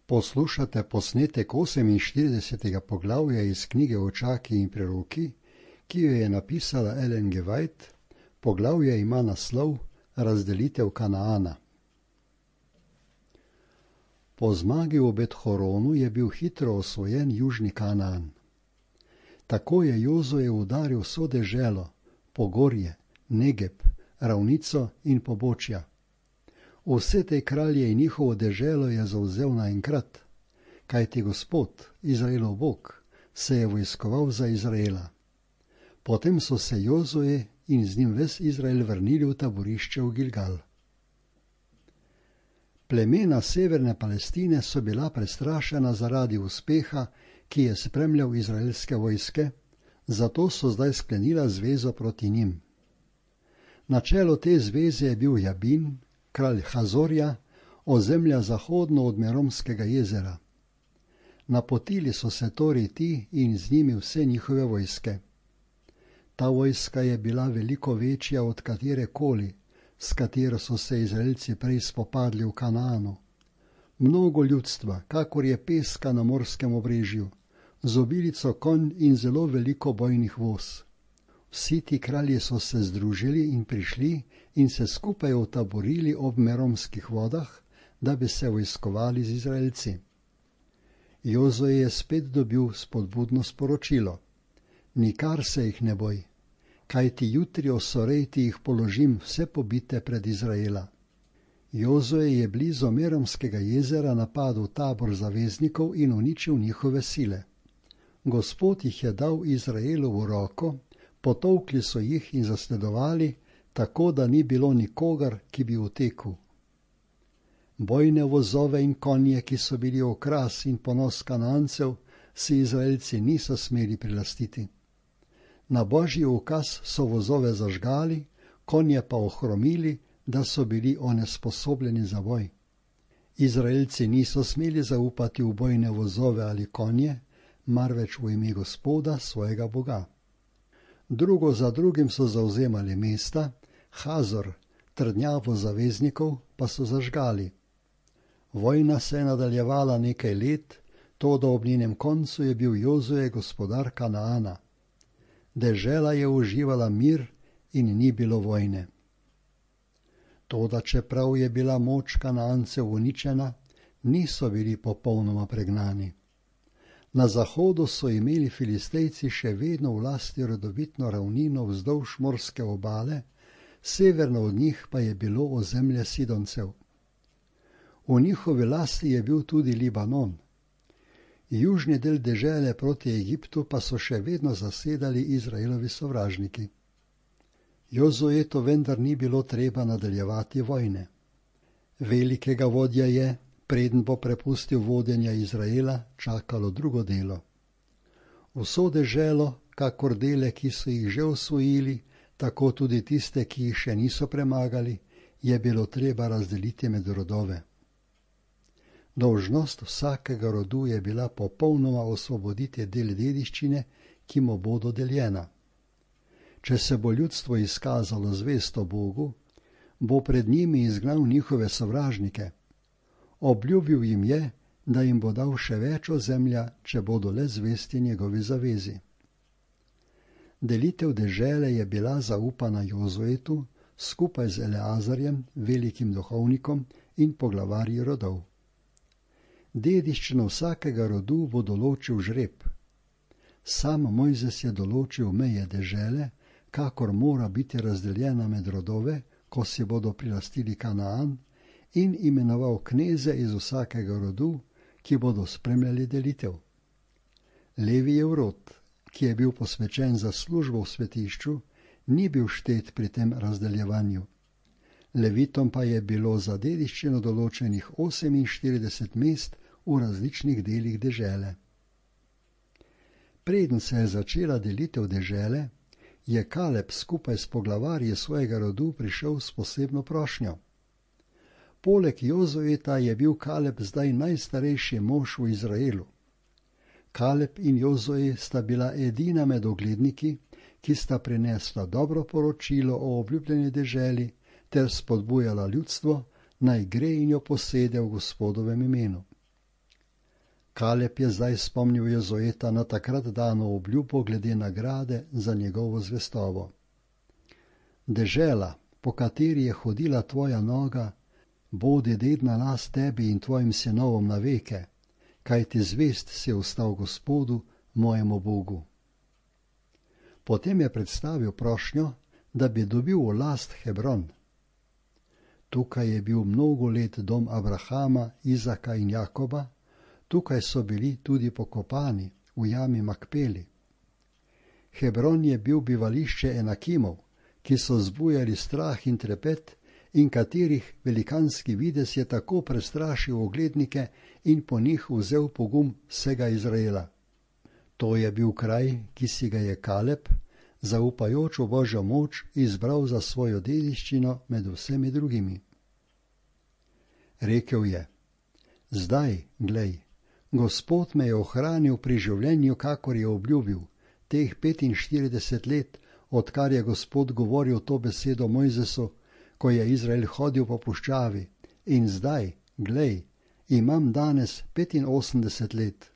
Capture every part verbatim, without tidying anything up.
Poslušate posnetek oseminštiridesetega poglavja iz knjige Očaki in preroki, ki jo je napisala Ellen G. White. Poglavje ima naslov Razdelitev Kanaana. Po zmagi v Bet-horonu je bil hitro osvojen južni Kanaan. Tako je Jozue udaril vso deželo, Pogorje, Negeb, ravnico in pobočja. Vse te kralje in njihovo deželo je zavzel naenkrat, kajti Gospod, Izraelov Bog, se je vojskoval za Izraela. Potem so se Jozue in z njim ves Izrael vrnili v taborišče v Gilgal. Plemena severne Palestine so bila prestrašena zaradi uspeha, ki je spremljal izraelske vojske, zato so zdaj sklenila zvezo proti njim. Na čelu te zveze je bil Jabin, kralj Hazorja, ozemlja zahodno od Meromskega jezera. Napotili so se torej ti in z njimi vse njihove vojske. Ta vojska je bila veliko večja od katere koli, s katero so se Izraelci prej spopadli v Kanaanu. Mnogo ljudstva, kakor je peska na morskem obrežju, z obilico konj in zelo veliko bojnih voz. Vsi ti kralji so se združili in prišli in se skupaj utaborili ob Meromskih vodah, da bi se vojskovali z Izraelci. Jozue je spet dobil spodbudno sporočilo. Nikar se jih ne boj, kajti jutri o Sorejti jih položim vse pobite pred Izraela. Jozue je blizu Meromskega jezera napadel tabor zaveznikov in uničil njihove sile. Gospod jih je dal Izraelu v roko, potolkli so jih in zasledovali, tako da ni bilo nikogar, ki bi utekel. Bojne vozove in konje, ki so bili okras in ponos Kanancev, si Izraelci niso smeli prilastiti. Na božji ukaz so vozove zažgali, konje pa ohromili, da so bili onesposobljeni za boj. Izraelci niso smeli zaupati v bojne vozove ali konje, marveč v ime Gospoda, svojega Boga. Drugo za drugim so zavzemali mesta, Hazor, trdnjavo zaveznikov, pa so zažgali. Vojna se je nadaljevala nekaj let, toda ob njenem koncu je bil Jozue gospodar Kanaana. Dežela je uživala mir in ni bilo vojne. Toda čeprav je bila moč Kanaancev uničena, niso bili popolnoma pregnani. Na zahodu so imeli Filistejci še vedno v lasti rodovitno ravnino vzdolž morske obale, severno od njih pa je bilo ozemlje Sidoncev. V njihovi lasti je bil tudi Libanon. Južni del dežele proti Egiptu pa so še vedno zasedali Izraelovi sovražniki. Jozuetu vendar ni bilo treba nadaljevati vojne. Velikega vodja je, preden bo prepustil vodenja Izraela, čakalo drugo delo. Vso deželo, kakor dele, ki so jih že osvojili, tako tudi tiste, ki jih še niso premagali, je bilo treba razdeliti med rodove. Dolžnost vsakega rodu je bila popolnoma osvoboditi del dediščine, ki mu bo dodeljena. Če se bo ljudstvo izkazalo zvesto Bogu, bo pred njimi izgnal njihove sovražnike. Obljubil jim je, da jim bo dal še več ozemlja, če bodo le zvesti njegovi zavezi. Delitev dežele je bila zaupana Jozuetu skupaj z Eleazarjem, velikim duhovnikom in poglavarji rodov. Dediščino vsakega rodu bo določil žreb. Sam Mojzes je določil meje dežele, kakor mora biti razdeljena med rodove, ko si bodo prilastili Kanaan, in imenoval kneze iz vsakega rodu, ki bodo spremljali delitev. Levijev rod, ki je bil posvečen za službo v svetišču, ni bil štet pri tem razdeljevanju. Levitom pa je bilo za dediščino določenih oseminštirideset mest v različnih delih dežele. Preden se je začela delitev dežele, je Kaleb skupaj s poglavarji svojega rodu prišel s posebno prošnjo. Poleg Jozueta je bil Kaleb zdaj najstarejši mož v Izraelu. Kaleb in Jozue sta bila edina med ogledniki, ki sta prinesla dobro poročilo o obljubljeni deželi ter spodbujala ljudstvo, naj gre in jo posede v Gospodovem imenu. Kaleb je zdaj spomnil Jozueta na takrat dano obljubo glede nagrade za njegovo zvestobo. Dežela, po kateri je hodila tvoja noga, bodi dedna last tebi in tvojim sinovom na veke, kajti zvest si ostal Gospodu, mojemu Bogu. Potem je predstavil prošnjo, da bi dobil v last Hebron. Tukaj je bil mnogo let dom Abrahama, Izaka in Jakoba, tukaj so bili tudi pokopani v jami Makpeli. Hebron je bil bivališče Enakimov, ki so zbujali strah in trepet in katerih velikanski videz je tako prestrašil oglednike in po njih vzel pogum vsega Izraela. To je bil kraj, ki si ga je Kaleb, zaupajoč v Božjo moč, izbral za svojo dediščino med vsemi drugimi. Rekel je: Zdaj, glej, Gospod me je ohranil pri življenju, kakor je obljubil, teh petinštirideset let, odkar je Gospod govoril to besedo Mojzesu, ko je Izrael hodil po puščavi, in zdaj, glej, imam danes petinosemdeset let.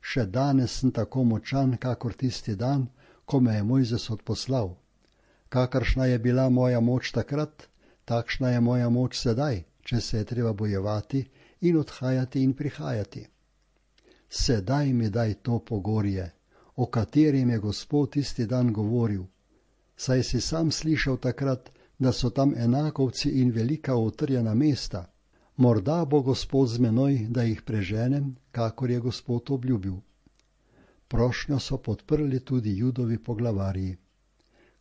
Še danes sem tako močan, kakor tisti dan, ko me je Mojzes odposlal. Kakršna je bila moja moč takrat, takšna je moja moč sedaj, če se je treba bojevati in odhajati in prihajati. Sedaj mi daj to pogorje, o katerem je Gospod tisti dan govoril. Saj si sam slišal takrat, da so tam enakovci in velika utrjena mesta. Morda bo Gospod z menoj, da jih preženem, kakor je Gospod obljubil. Prošnjo so podprli tudi Judovi poglavarji.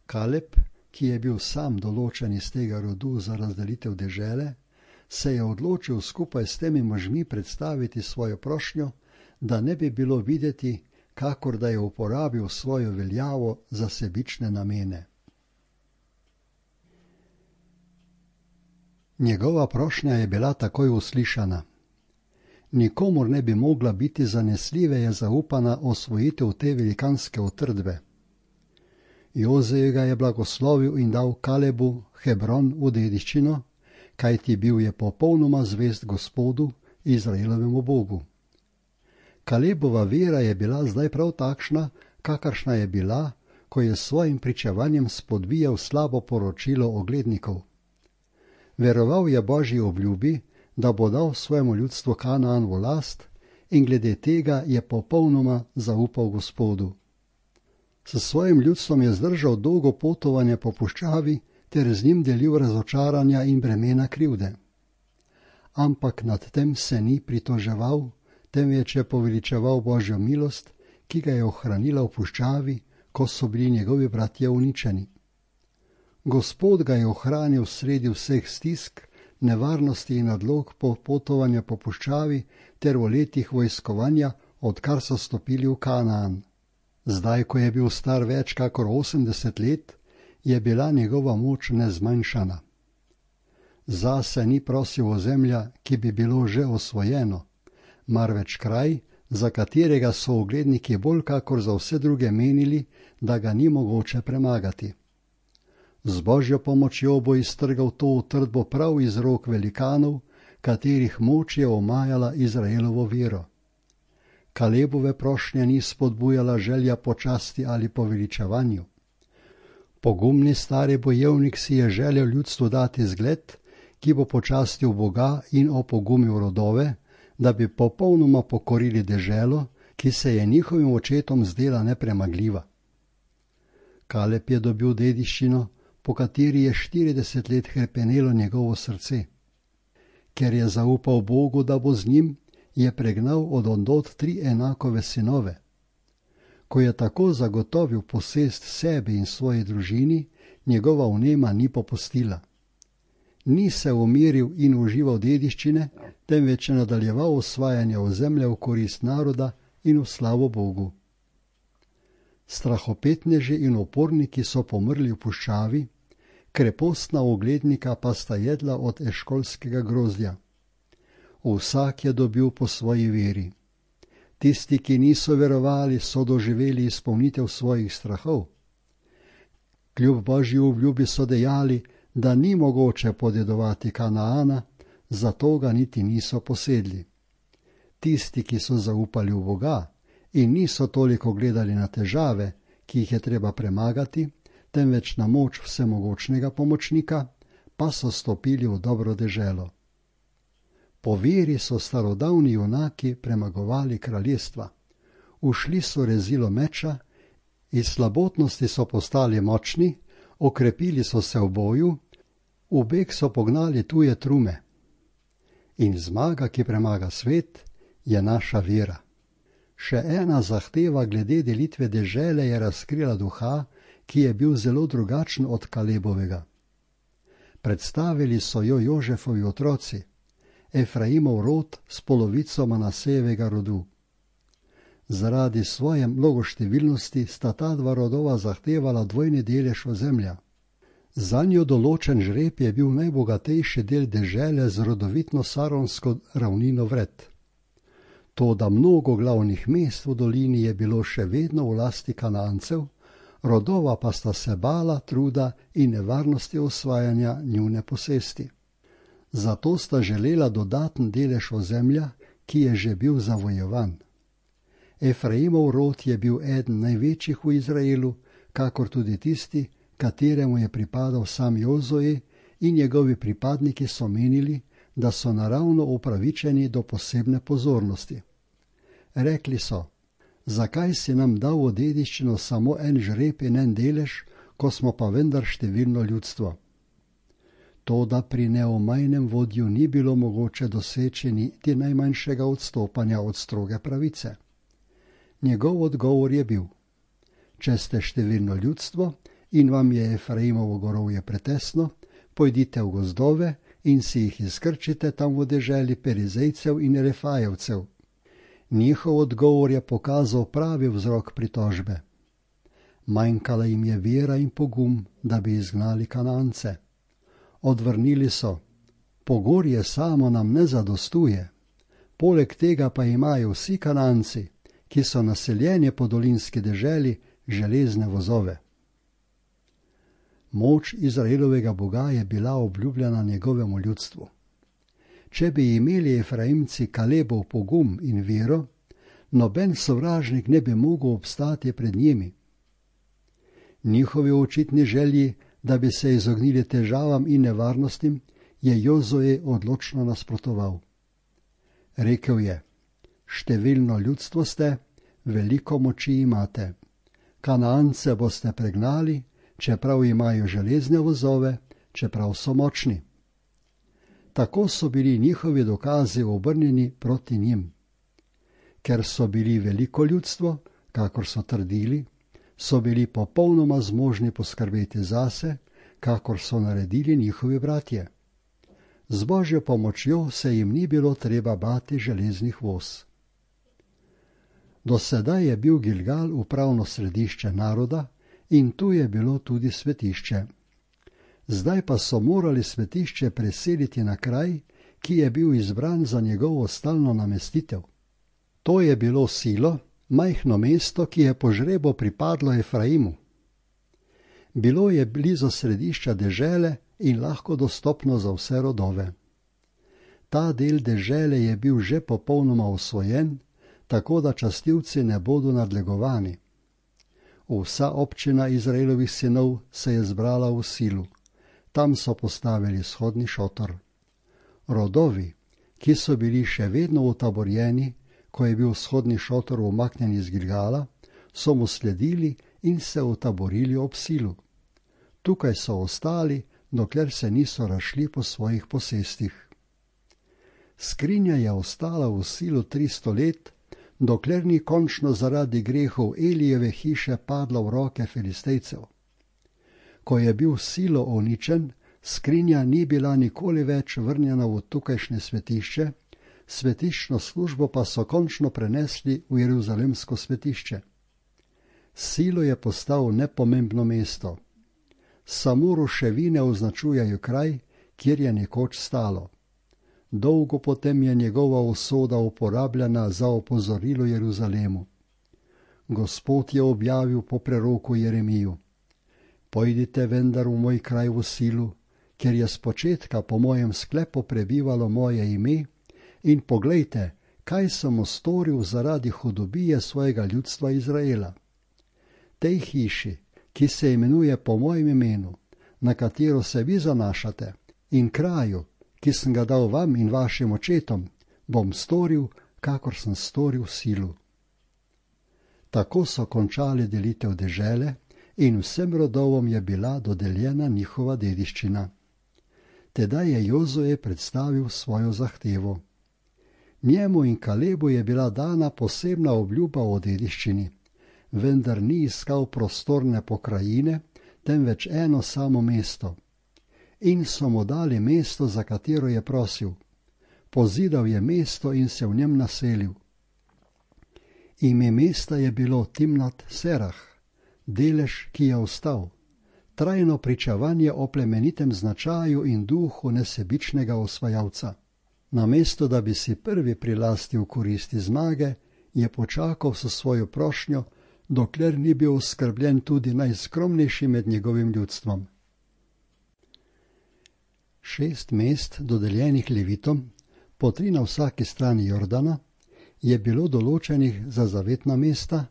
Kaleb, ki je bil sam določen iz tega rodu za razdelitev dežele, se je odločil skupaj s temi možmi predstaviti svojo prošnjo, da ne bi bilo videti, kakor da je uporabil svojo veljavo za sebične namene. Njegova prošnja je bila takoj uslišana. Nikomur ne bi mogla biti zanesljive je zaupana osvojitev te velikanske utrdbe. Jozej ga je blagoslovil in dal Kalebu Hebron v dediščino, kajti bil je popolnoma zvest Gospodu, Izraelovemu Bogu. Kalebova vera je bila zdaj prav takšna, kakršna je bila, ko je s svojim pričevanjem spodbijal slabo poročilo oglednikov. Veroval je Božji obljubi, da bo dal svojemu ljudstvu Kanaan v last, in glede tega je popolnoma zaupal Gospodu. S svojim ljudstvom je zdržal dolgo potovanje po puščavi ter z njim delil razočaranja in bremena krivde. Ampak nad tem se ni pritoževal, temveč je poveličeval Božjo milost, ki ga je ohranila v puščavi, ko so bili njegovi bratje uničeni. Gospod ga je ohranil sredi vseh stisk, nevarnosti in nadlog po potovanju po puščavi ter v letih vojskovanja, odkar so stopili v Kanaan. Zdaj, ko je bil star več kakor osemdeset let, je bila njegova moč nezmanjšana. Zase ni prosil ozemlja, ki bi bilo že osvojeno, marveč kraj, za katerega so ogledniki bolj kakor za vse druge menili, da ga ni mogoče premagati. Z Božjo pomočjo bo iztrgal to utrdbo prav iz rok velikanov, katerih moč je omajala Izraelovo vero. Kalebove prošnje ni spodbujala želja po časti ali po veličevanju. Pogumni stari bojevnik si je želel ljudstvu dati zgled, ki bo počastil Boga in opogumil rodove, da bi popolnoma pokorili deželo, ki se je njihovim očetom zdela nepremagljiva. Kaleb je dobil dediščino, po kateri je štirideset let hrepenelo njegovo srce. Ker je zaupal Bogu, da bo z njim, je pregnal od ondod tri enakove sinove. Ko je tako zagotovil posest sebi in svoji družini, njegova vnema ni popustila. Ni se umiril in užival dediščine, temveč je nadaljeval osvajanje ozemlja v korist naroda in v slavo Bogu. Strahopetneži in oporniki so pomrli v puščavi, krepostna oglednika pa sta jedla od eškolskega grozdja. Vsak je dobil po svoji veri. Tisti, ki niso verovali, so doživeli izpolnitev svojih strahov. Kljub Božji obljubi so dejali, da ni mogoče podedovati Kanaana, zato ga niti niso posedli. Tisti, ki so zaupali v Boga in niso toliko gledali na težave, ki jih je treba premagati, temveč na moč vsemogočnega pomočnika, pa so stopili v dobro deželo. Po veri so starodavni junaki premagovali kraljestva. Ušli so rezilo meča, iz slabotnosti so postali močni, okrepili so se v boju, v beg so pognali tuje trume. In zmaga, ki premaga svet, je naša vera. Še ena zahteva glede delitve dežele je razkrila duha, ki je bil zelo drugačen od Kalebovega. Predstavili so jo Jožefovi otroci, Efraimov rod s polovico Manasejevega rodu. Zaradi svoje mnogoštevilnosti sta ta dva rodova zahtevala dvojni delež ozemlja. Zanjo določen žreb je bil najbogatejši del dežele z rodovitno saronsko ravnino vred. Toda mnogo glavnih mest v dolini je bilo še vedno v lasti Kanancev, rodova pa sta se bala truda in nevarnosti osvajanja njune posesti. Zato sta želela dodaten delež ozemlja, ki je že bil zavojevan. Efraimov rod je bil eden največjih v Izraelu, kakor tudi tisti, kateremu je pripadal sam Jozoje, in njegovi pripadniki so menili, da so naravno upravičeni do posebne pozornosti. Rekli so: zakaj si nam dal v dediščino samo en žreb in en delež, ko smo pa vendar številno ljudstvo? Toda pri neomajnem vodju ni bilo mogoče doseči niti najmanjšega odstopanja od stroge pravice. Njegov odgovor je bil: če ste številno ljudstvo in vam je Efraimovo gorovje pretesno, pojdite v gozdove in si jih izkrčite tam v deželi Perizejcev in Refajevcev. Njihov odgovor je pokazal pravi vzrok pritožbe. Manjkala jim je vera in pogum, da bi izgnali Kanance. Odvrnili so: pogorje samo nam ne zadostuje, poleg tega pa imajo vsi Kananci, ki so naseljeni po dolinski deželi, železne vozove. Moč Izraelovega Boga je bila obljubljena njegovemu ljudstvu. Če bi imeli Efraimci Kalebov pogum in vero, noben sovražnik ne bi mogel obstati pred njimi. Njihovi očitni želji, da bi se izognili težavam in nevarnostim, je Jozoje odločno nasprotoval. Rekel je: številno ljudstvo ste, veliko moči imate. Kanance boste pregnali, čeprav imajo železne vozove, čeprav so močni. Tako so bili njihovi dokazi obrnjeni proti njim. Ker so bili veliko ljudstvo, kakor so trdili, so bili popolnoma zmožni poskrbeti zase, kakor so naredili njihovi bratje. Z Božjo pomočjo se jim ni bilo treba bati železnih voz. Do sedaj je bil Gilgal upravno središče naroda in tu je bilo tudi svetišče. Zdaj pa so morali svetišče preseliti na kraj, ki je bil izbran za njegovo stalno namestitev. To je bilo Silo, majhno mesto, ki je po žrebu pripadlo Efraimu. Bilo je blizu središča dežele in lahko dostopno za vse rodove. Ta del dežele je bil že popolnoma osvojen, tako da častilci ne bodo nadlegovani. Vsa občina Izraelovih sinov se je zbrala v Silu. Tam so postavili shodni šotor. Rodovi, ki so bili še vedno utaborjeni, ko je bil shodni šotor umaknjen iz Gilgala, so mu sledili in se utaborili ob Silu. Tukaj so ostali, dokler se niso razšli po svojih posestih. Skrinja je ostala v Silu tristo let, dokler ni končno zaradi grehov Elijeve hiše padla v roke Filistejcev. Ko je bil Silo uničen, skrinja ni bila nikoli več vrnjena v tukajšnje svetišče, svetiščno službo pa so končno prenesli v Jeruzalemsko svetišče. Silo je postal nepomembno mesto. Samo ruševine označujejo kraj, kjer je nekoč stalo. Dolgo potem je njegova usoda uporabljena za opozorilo Jeruzalemu. Gospod je objavil po preroku Jeremiju: pojdite vendar v moj kraj v Silu, ker je spočetka po mojem sklepu prebivalo moje ime, in poglejte, kaj sem storil zaradi hudobije svojega ljudstva Izraela. Tej hiši, ki se imenuje po mojem imenu, na katero se vi zanašate, in kraju, ki sem ga dal vam in vašim očetom, bom storil, kakor sem storil silu. Tako so končali delitev dežele in vsem rodovom je bila dodeljena njihova dediščina. Tedaj je Jozue predstavil svojo zahtevo. Njemu in Kalebu je bila dana posebna obljuba o dediščini, vendar ni iskal prostorne pokrajine, temveč eno samo mesto. In so mu dali mesto, za katero je prosil. Pozidal je mesto in se v njem naselil. Ime mesta je bilo Timnat Serah, delež, ki je ostal, trajno pričevanje o plemenitem značaju in duhu nesebičnega osvajalca. Namesto da bi si prvi prilastil koristi zmage, je počakal s svojo prošnjo, dokler ni bil oskrbljen tudi najskromnejši med njegovim ljudstvom. Šest mest, dodeljenih Levitom, po tri na vsaki strani Jordana, je bilo določenih za zavetna mesta,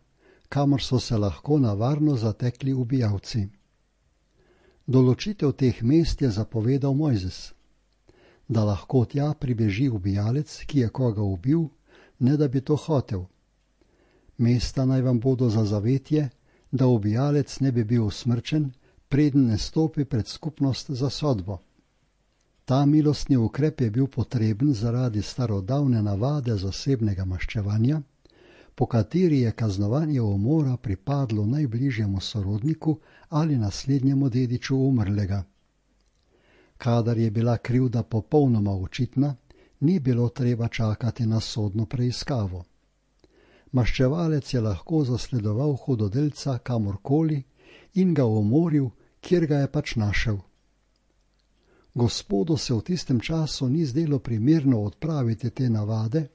kamor so se lahko na varno zatekli ubijalci. Določitev teh mest je zapovedal Mojzes, da lahko tja pribeži ubijalec, ki je koga ubil, ne da bi to hotel. Mesta naj vam bodo za zavetje, da ubijalec ne bi bil usmrčen, preden ne stopi pred skupnost za sodbo. Ta milostni ukrep je bil potreben zaradi starodavne navade zasebnega maščevanja, po kateri je kaznovanje umora pripadlo najbližjemu sorodniku ali naslednjemu dediču umrlega. Kadar je bila krivda popolnoma očitna, ni bilo treba čakati na sodno preiskavo. Maščevalec je lahko zasledoval hudodelca kamorkoli in ga umoril, kjer ga je pač našel. Gospodu se v tistem času ni zdelo primerno odpraviti te navade,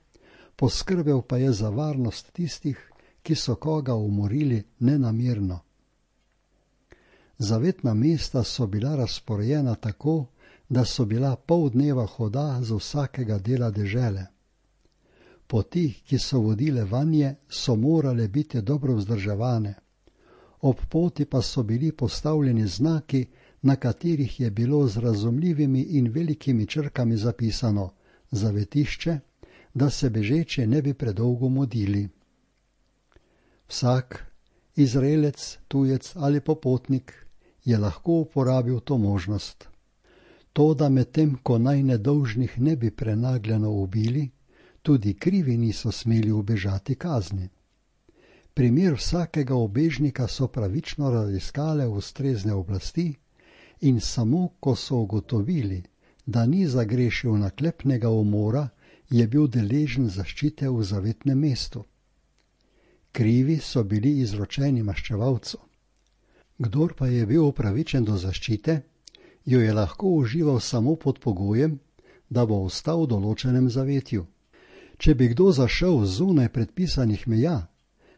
poskrbel pa je za varnost tistih, ki so koga umorili nenamerno. Zavetna mesta so bila razporejena tako, da so bila pol dneva hoda z vsakega dela dežele. Poti, ki so vodile vanje, so morale biti dobro vzdrževane. Ob poti pa so bili postavljeni znaki, na katerih je bilo z razumljivimi in velikimi črkami zapisano zavetišče, da se bežeče ne bi predolgo modili. Vsak, Izraelec, tujec ali popotnik, je lahko uporabil to možnost. To, da medtem, ko naj nedolžnih ne bi prenagljeno ubili, tudi krivi niso smeli ubežati kazni. Primer vsakega ubežnika so pravično raziskale ustrezne oblasti in samo, ko so ugotovili, da ni zagrešil naklepnega umora, je bil deležen zaščite v zavetnem mestu. Krivi so bili izročeni maščevalcu. Kdor pa je bil upravičen do zaščite, jo je lahko užival samo pod pogojem, da bo ostal v določenem zavetju. Če bi kdo zašel zunaj predpisanih meja,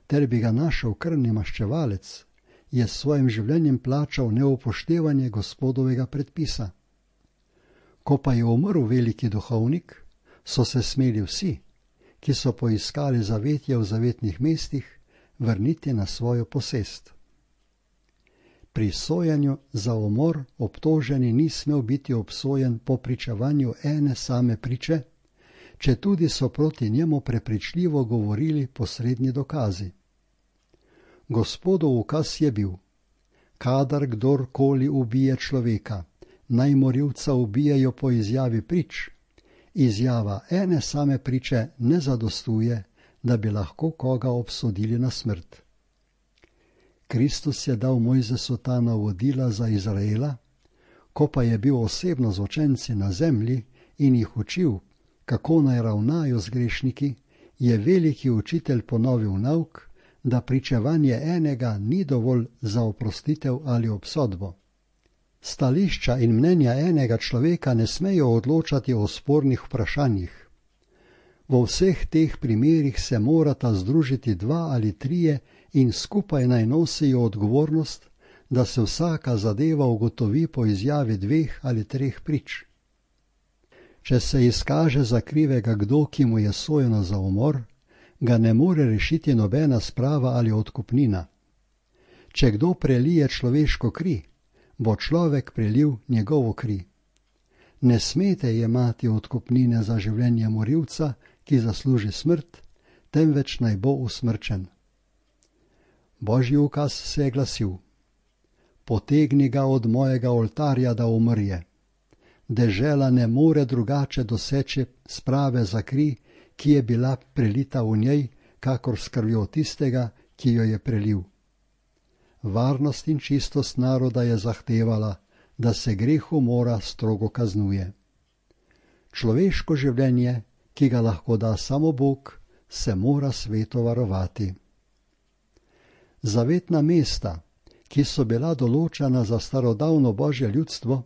ter bi ga našel krvni maščevalec, je s svojim življenjem plačal neupoštevanje gospodovega predpisa. Ko pa je umrl veliki duhovnik, so se smeli vsi, ki so poiskali zavetje v zavetnih mestih, vrniti na svojo posest. Pri sojenju za umor obtoženi ni smel biti obsojen po pričevanju ene same priče, četudi so proti njemu prepričljivo govorili posredni dokazi. Gospodov ukaz je bil: kadar kdorkoli ubije človeka, naj morilca ubijejo po izjavi prič. Izjava ene same priče ne zadostuje, da bi lahko koga obsodili na smrt. Kristus je dal Mojzesu ta navodila za Izraela, ko pa je bil osebno z učenci na zemlji in jih učil, kako naj ravnajo z grešniki, je veliki učitelj ponovil nauk, da pričevanje enega ni dovolj za oprostitev ali obsodbo. Stališča in mnenja enega človeka ne smejo odločati o spornih vprašanjih. V vseh teh primerih se morata združiti dva ali trije in skupaj naj nosijo odgovornost, da se vsaka zadeva ugotovi po izjavi dveh ali treh prič. Če se izkaže za krivega kdo, ki mu je sojeno za umor, ga ne more rešiti nobena sprava ali odkupnina. Če kdo prelije človeško kri, bo človek prelil njegovo kri. Ne smete jemati odkupnine za življenje morilca, ki zasluži smrt, temveč naj bo usmrčen. Božji ukaz se je glasil: potegni ga od mojega oltarja, da umrje. Dežela ne more drugače doseči sprave za kri, ki je bila prelita v njej, kakor s krvjo tistega, ki jo je prelil. Varnost in čistost naroda je zahtevala, da se greh umora strogo kaznuje. Človeško življenje, ki ga lahko da samo Bog, se mora sveto varovati. Zavetna mesta, ki so bila določena za starodavno Božje ljudstvo,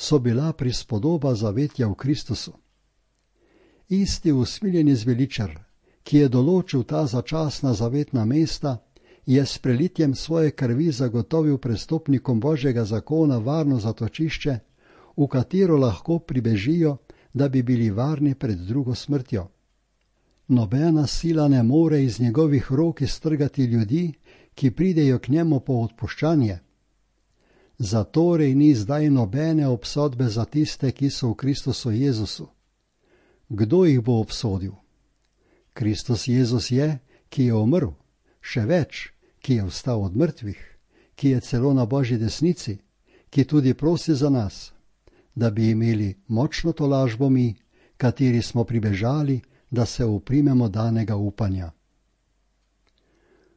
so bila prispodoba zavetja v Kristusu. Isti usmiljeni zveličar, ki je določil ta začasna zavetna mesta, je s prelitjem svoje krvi zagotovil prestopnikom Božjega zakona varno zatočišče, v katero lahko pribežijo, da bi bili varni pred drugo smrtjo. Nobena sila ne more iz njegovih rok iztrgati ljudi, ki pridejo k njemu po odpuščanje. Zatorej ni zdaj nobene obsodbe za tiste, ki so v Kristusu Jezusu. Kdo jih bo obsodil? Kristus Jezus je, ki je umrl, še več, ki je vstal od mrtvih, ki je celo na Božji desnici, ki tudi prosi za nas, da bi imeli močno tolažbo mi, kateri smo pribežali, da se uprimemo danega upanja.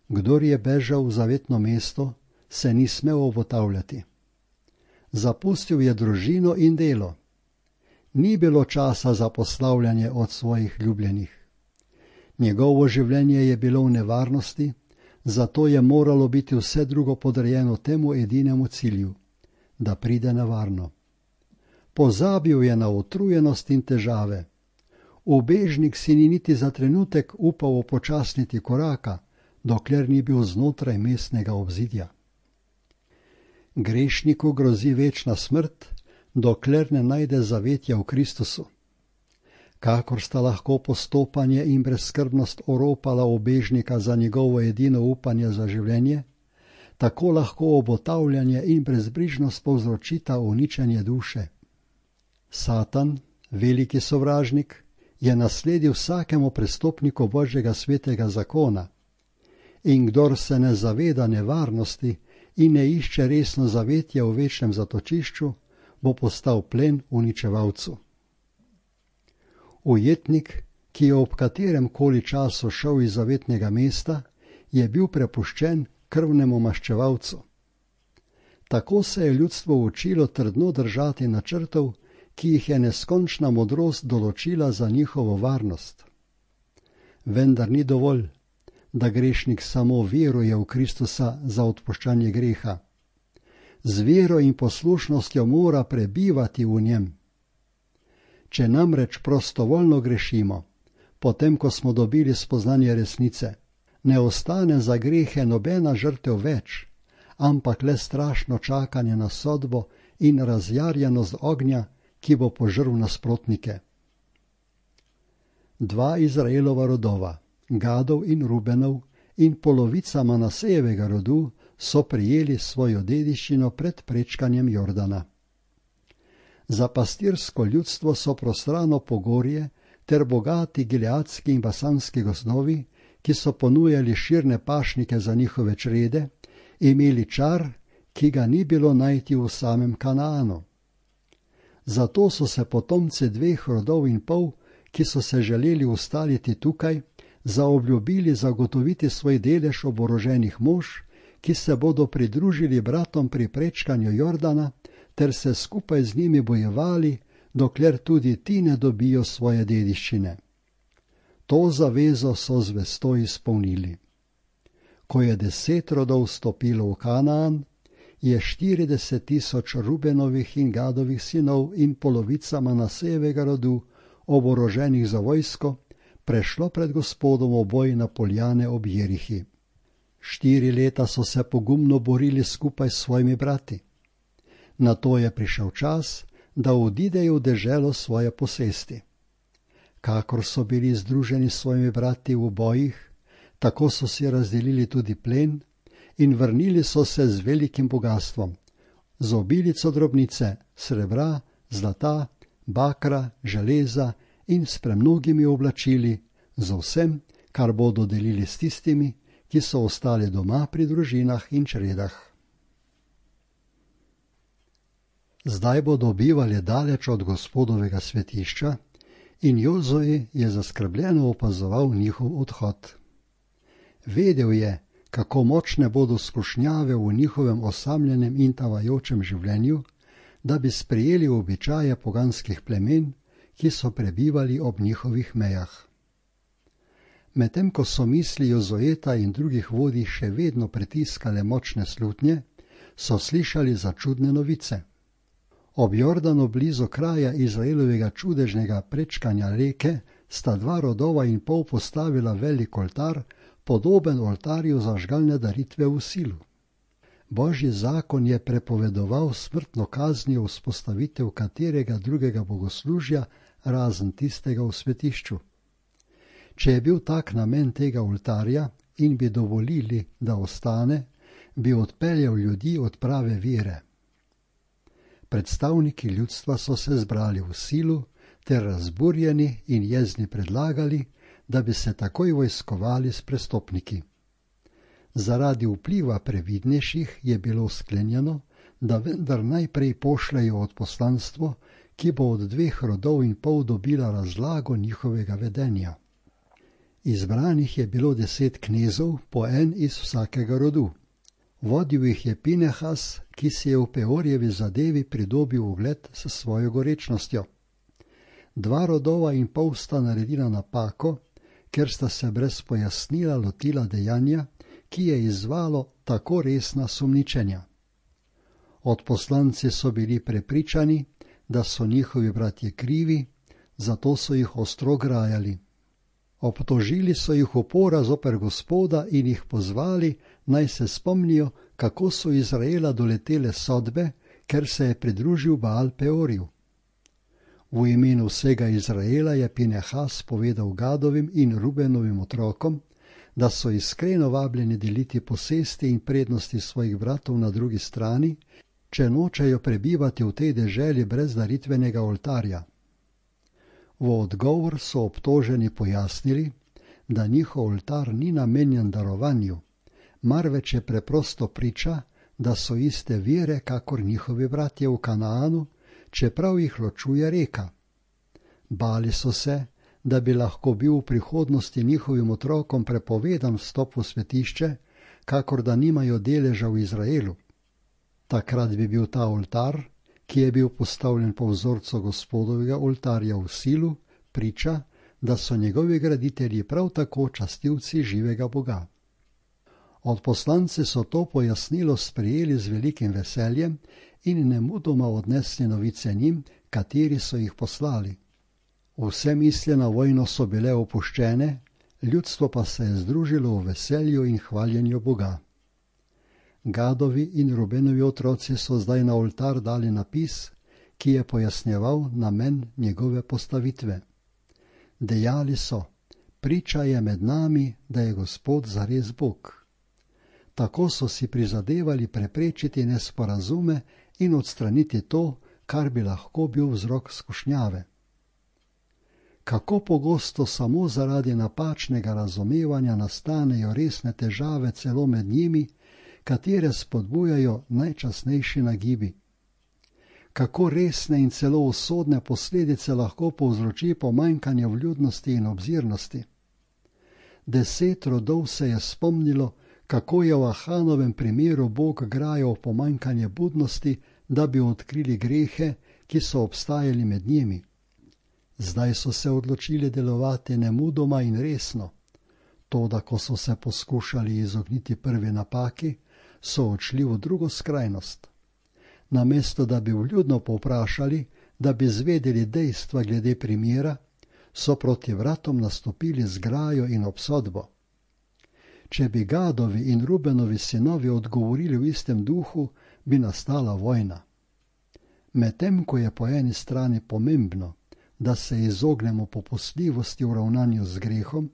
Kdor je bežal v zavetno mesto, se ni smel obotavljati. Zapustil je družino in delo. Ni bilo časa za poslavljanje od svojih ljubljenih. Njegovo življenje je bilo v nevarnosti, zato je moralo biti vse drugo podrejeno temu edinemu cilju, da pride na varno. Pozabil je na utrujenost in težave. Ubežnik si ni niti za trenutek upal upočasniti koraka, dokler ni bil znotraj mestnega obzidja. Grešniku grozi večna smrt, dokler ne najde zavetja v Kristusu. Kakor sta lahko postopanje in brezskrbnost oropala ubežnika za njegovo edino upanje za življenje, tako lahko obotavljanje in brezbrižnost povzročita uničenje duše. Satan, veliki sovražnik, je nasledil vsakemu prestopniku Božjega svetega zakona, in kdor se ne zaveda nevarnosti in ne išče resno zavetje v večnem zatočišču, bo postal plen uničevalcu. Ujetnik, ki je ob katerem koli času šel iz zavetnega mesta, je bil prepuščen krvnemu maščevalcu. Tako se je ljudstvo učilo trdno držati načrtov, ki jih je neskončna modrost določila za njihovo varnost. Vendar ni dovolj, da grešnik samo veruje v Kristusa za odpuščanje greha. Z vero in poslušnostjo mora prebivati v njem. Če namreč prostovoljno grešimo, potem ko smo dobili spoznanje resnice, ne ostane za grehe nobena žrtev več, ampak le strašno čakanje na sodbo in razjarjenost ognja, ki bo požrl nasprotnike. Dva Izraelova rodova, Gadov in Rubenov, in polovica Manasejevega rodu so prijeli svojo dediščino pred prečkanjem Jordana. Za pastirsko ljudstvo so prostrano pogorje ter bogati gileadski in basanski gozdovi, ki so ponujali širne pašnike za njihove črede, imeli čar, ki ga ni bilo najti v samem Kanaanu. Zato so se potomci dveh rodov in pol, ki so se želeli ustaliti tukaj, zaobljubili zagotoviti svoj delež oboroženih mož, ki se bodo pridružili bratom pri prečkanju Jordana, ter se skupaj z njimi bojevali, dokler tudi ti ne dobijo svoje dediščine. To zavezo so zvesto izpolnili. Ko je deset rodov stopilo v Kanaan, je štirideset tisoč Rubenovih in Gadovih sinov in polovica Manasejevega rodu, oboroženih za vojsko, prešlo pred Gospodom v boj na poljane ob Jerihi. Štiri leta so se pogumno borili skupaj s svojimi brati. Nato je prišel čas, da odidejo v deželo svoje posesti. Kakor so bili združeni s svojimi brati v bojih, tako so si razdelili tudi plen in vrnili so se z velikim bogastvom, z obilico drobnice, srebra, zlata, bakra, železa in s premnogimi oblačili, z vsem, kar bodo delili s tistimi, ki so ostali doma pri družinah in čredah. Zdaj bodo bivali daleč od Gospodovega svetišča in Jozue je zaskrbljeno opazoval njihov odhod. Vedel je, kako močne bodo skušnjave v njihovem osamljenem in tavajočem življenju, da bi sprejeli običaje poganskih plemen, ki so prebivali ob njihovih mejah. Medtem ko so misli Jozueta in drugih vodij še vedno pritiskale močne slutnje, so slišali začudne novice. Ob Jordanu blizu kraja Izraelovega čudežnega prečkanja reke sta dva rodova in pol postavila velik oltar, podoben oltarju za žgalne daritve v Silu. Božji zakon je prepovedoval smrtno kaznijo vzpostavitev katerega drugega bogoslužja, razen tistega v svetišču. Če je bil tak namen tega oltarja in bi dovolili, da ostane, bi odpeljal ljudi od prave vere. Predstavniki ljudstva so se zbrali v Silu ter razburjeni in jezni predlagali, da bi se takoj vojskovali s prestopniki. Zaradi vpliva previdnejših je bilo sklenjeno, da vendar najprej pošljajo odposlanstvo, ki bo od dveh rodov in pol dobila razlago njihovega vedenja. Izbranih je bilo deset knezov, po en iz vsakega rodu. Vodil jih je Pinehas, ki si je v Peorjevi zadevi pridobil ugled s svojo gorečnostjo. Dva rodova in pol sta naredila napako, ker sta se brez pojasnila lotila dejanja, ki je izzvalo tako resna sumničenja. Odposlanci so bili prepričani, da so njihovi bratje krivi, zato so jih ostro grajali. Obtožili so jih upora zoper Gospoda in jih pozvali, naj se spomnijo, kako so Izraela doletele sodbe, ker se je pridružil Baal Peorju. V imenu vsega Izraela je Pinehas povedal Gadovim in Rubenovim otrokom, da so iskreno vabljeni deliti posesti in prednosti svojih bratov na drugi strani, če nočejo prebivati v tej deželi brez daritvenega oltarja. V odgovor so obtoženi pojasnili, da njihov oltar ni namenjen darovanju, marveč je preprosto priča, da so iste vere kakor njihovi bratje v Kanaanu, čeprav jih ločuje reka. Bali so se, da bi lahko bil v prihodnosti njihovim otrokom prepovedan vstop v svetišče, kakor da nimajo deleža v Izraelu. Takrat bi bil ta oltar, ki je bil postavljen po vzorcu Gospodovega oltarja v Silu, priča, da so njegovi graditelji prav tako častilci živega Boga. Odposlanci so to pojasnilo sprejeli z velikim veseljem in nemudoma odnesli novice njim, kateri so jih poslali. Vse misli na vojno so bile opuščene, ljudstvo pa se je združilo v veselju in hvaljenju Boga. Gadovi in Rubenovi otroci so zdaj na oltar dali napis, ki je pojasnjeval namen njegove postavitve. Dejali so, priča je med nami, da je Gospod zares Bog. Tako so si prizadevali preprečiti nesporazume in odstraniti to, kar bi lahko bil vzrok skušnjave. Kako pogosto samo zaradi napačnega razumevanja nastanejo resne težave celo med njimi, katere spodbujajo najčasnejši nagibi. Kako resne in celo usodne posledice lahko povzroči pomanjkanje vljudnosti in obzirnosti. Deset rodov se je spomnilo, kako je v Ahanovem primeru Bog grajal pomanjkanje budnosti, da bi odkrili grehe, ki so obstajali med njimi. Zdaj so se odločili delovati nemudoma in resno. Toda, ko so se poskušali izogniti prvi napaki, so odšli v drugo skrajnost. Namesto, da bi vljudno povprašali, da bi zvedeli dejstva glede primera, so proti vratom nastopili z grajo in obsodbo. Če bi Gadovi in Rubenovi sinovi odgovorili v istem duhu, bi nastala vojna. Medtem ko je po eni strani pomembno, da se izognemo popustljivosti v ravnanju z grehom,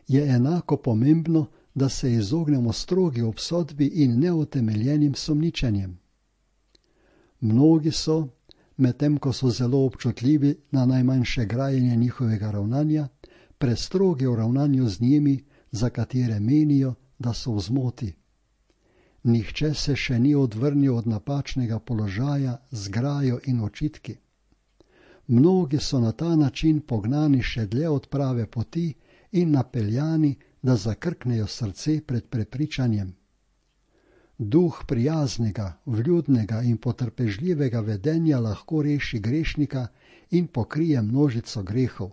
je enako pomembno, da se izognemo strogi obsodbi in neutemeljenim sumničenjem. Mnogi so, medtem ko so zelo občutljivi na najmanjše grajenje njihovega ravnanja, prestrogi v ravnanju z njimi, za katere menijo, da so v zmoti. Nihče se še ni odvrnil od napačnega položaja z grajo in očitki. Mnogi so na ta način pognani še dlje od prave poti in napeljani, da zakrknejo srce pred prepričanjem. Duh prijaznega, vljudnega in potrpežljivega vedenja lahko reši grešnika in pokrije množico grehov.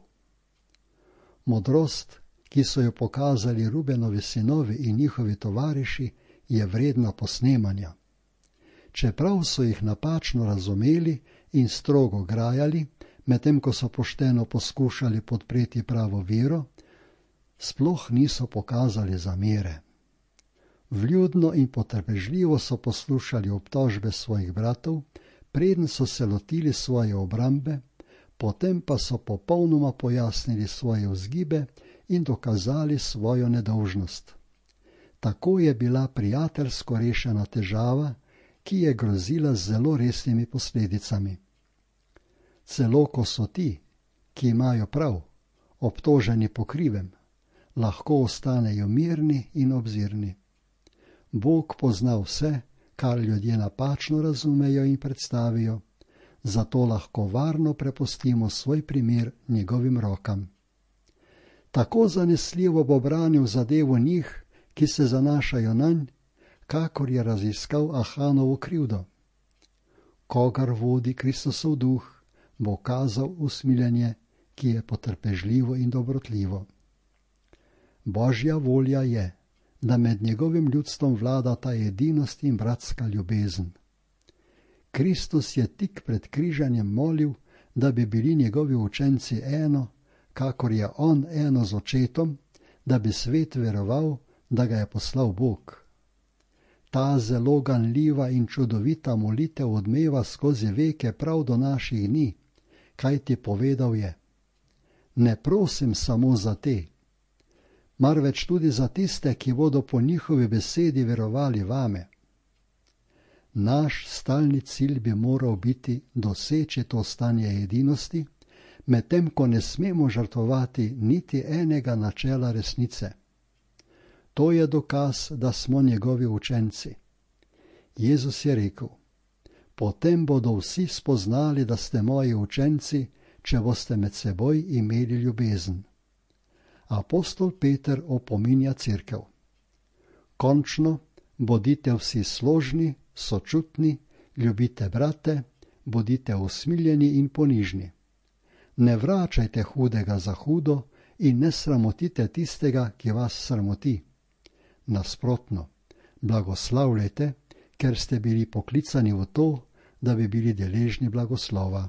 Modrost, ki so jo pokazali Rubenovi sinovi in njihovi tovariši, je vredna posnemanja. Čeprav so jih napačno razumeli in strogo grajali, medtem ko so pošteno poskušali podpreti pravo vero, sploh niso pokazali zamere. Vljudno in potrpežljivo so poslušali obtožbe svojih bratov, preden so se lotili svoje obrambe, potem pa so popolnoma pojasnili svoje vzgibe in dokazali svojo nedolžnost. Tako je bila prijateljsko rešena težava, ki je grozila z zelo resnimi posledicami. Celo ko so ti, ki imajo prav, obtoženi po krivem, lahko ostanejo mirni in obzirni. Bog pozna vse, kar ljudje napačno razumejo in predstavijo, zato lahko varno prepustimo svoj primer njegovim rokam. Tako zanesljivo bo branil zadevo njih, ki se zanašajo nanj, kakor je raziskal Ahanovo krivdo. Kogar vodi Kristosov duh, bo kazal usmiljenje, ki je potrpežljivo in dobrotljivo. Božja volja je, da med njegovim ljudstvom vlada ta edinost in bratska ljubezen. Kristus je tik pred križanjem molil, da bi bili njegovi učenci eno, kakor je on eno z očetom, da bi svet veroval, da ga je poslal Bog. Ta zelo ganljiva in čudovita molitev odmeva skozi veke prav do naših dni, kajti povedal je: ne prosim samo za te, marveč tudi za tiste, ki bodo po njihovi besedi verovali vame. Naš stalni cilj bi moral biti doseči to stanje edinosti, medtem ko ne smemo žrtvovati niti enega načela resnice. To je dokaz, da smo njegovi učenci. Jezus je rekel: potem bodo vsi spoznali, da ste moji učenci, če boste med seboj imeli ljubezen. Apostol Peter opominja cerkev: končno, bodite vsi složni, sočutni, ljubite brate, bodite usmiljeni in ponižni. Ne vračajte hudega za hudo in ne sramotite tistega, ki vas sramoti. Nasprotno, blagoslavljajte, ker ste bili poklicani v to, da bi bili deležni blagoslova.